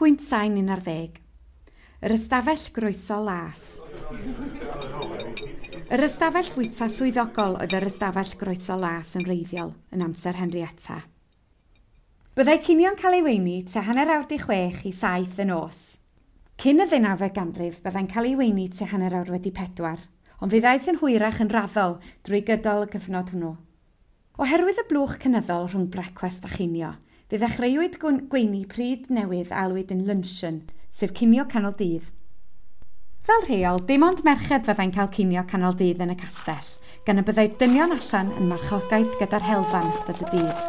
Pwynt sain 11. Yr ystafell groeso las. Yr ystafell fwyta swyddogol oedd yr ystafell groeso las yn wreiddiol yn amser Henrietta. Byddai cinio'n cael ei weini tua 5:30 i 7 y nos. Cyn y ddeunawfed ganrif, byddai'n cael ei weini tua 4:30, ond fe ddaeth yn hwyrach yn raddol drwy gydol y cyfnod hwnnw. Oherwydd y blwch cynyddol rhwng brecwast a chinio, fe ddechreuwyd gweini pryd newydd a alwyd yn luncheon, sef cinio canol dydd. Fel rheol, dim ond merched fyddai'n cael cinio canol dydd yn y castell, gan y byddai dynion allan yn marchogaeth gyda'r helfa yn ystod y dydd.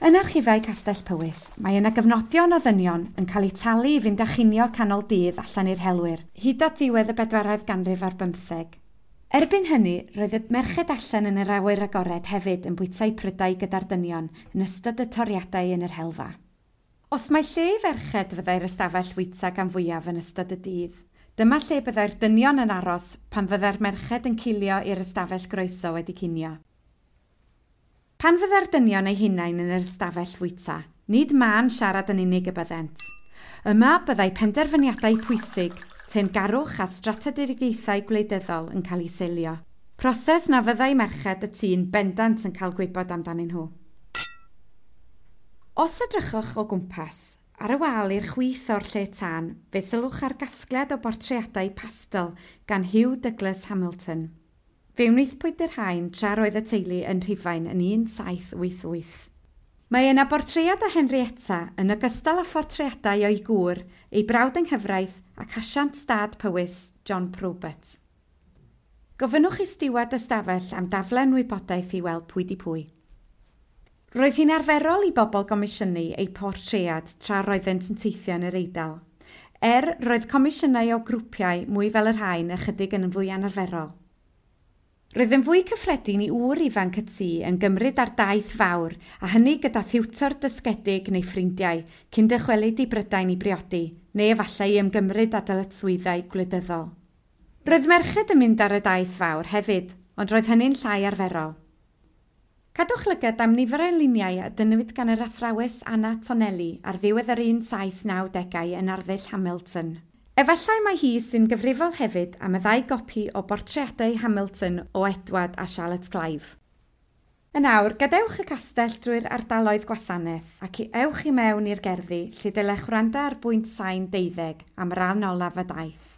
Yn archifau Castell Powys, mae yna gyfnodion o ddynion yn cael eu talu i fynd â chinio canol dydd allan i'r helwyr, hyd at ddiwedd y bedwaredd ganrif ar bymtheg. Erbyn hynny, roedd y merched allan yn yr awyr agored hefyd yn bwyta'u prydau gyda'r dynion yn ystod y toriadau yn yr helfa. Os mai lle i ferched fyddai'r ystafell fwyta gan fwyaf yn ystod y dydd, dyma lle byddai'r dynion yn aros pan fyddai'r merched yn cilio i'r ystafell groeso wedi cinio. Pan fyddai'r dynion eu hunain yn yr ystafell fwyta, nid mân siarad yn unig y byddent. Yma byddai penderfyniadau pwysig, teyrngarwch a strategaethau gwleidyddol yn cael eu selio. Proses na fyddai merched y tŷ'n bendant yn cael gwybod amdanyn nhw. Os edrychwch o gwmpas, ar y wal i'r chwith o'r lle tân, fe sylwch ar gasgliad o bortreadau pastel gan Hugh Douglas Hamilton. Fe wnaethpwyd y rhain tra roedd y teulu yn Rhufain yn 1788. Mae yna bortread o Henrietta yn ogystal â phortreadau o'i gŵr, ei brawd yng nghyfraith ac asiant stad Powys, John Probert. Gofynnwch i stiward ystafell am daflen wybodaeth i weld pwy di pwy. Roedd hi'n arferol i bobl gomisiynu eu portread tra roeddent yn teithio yn yr Eidal. Roedd comisiynau o grwpiau mwy fel y rhain ychydig yn fwy anarferol. Roedd yn fwy cyffredin i ŵr ifanc y tŷ yn gymryd ar daith fawr, a hynny gyda thiwtor dysgedig neu ffrindiau, cyn dychwelyd i Brydain i briodi, neu efallai i ymgymryd â dyletswyddau gwleidyddol. Roedd merched yn mynd ar y daith fawr hefyd, ond roedd hynny'n llai arferol. Cadwch lygad am nifer o luniau a dynnwyd gan yr athrawes Anna Tonelli ar ddiwedd yr 1790au yn arddull Hamilton. Efallai mai hi sy'n gyfrifol hefyd am y ddau gopi o bortreadau Hamilton o Edward a Charlotte Clive. Yn awr, gadewch y castell drwy'r ardaloedd gwasanaeth ac ewch i mewn i'r gerddi lle dylech wrando ar bwynt sain 12 am ran olaf y daith.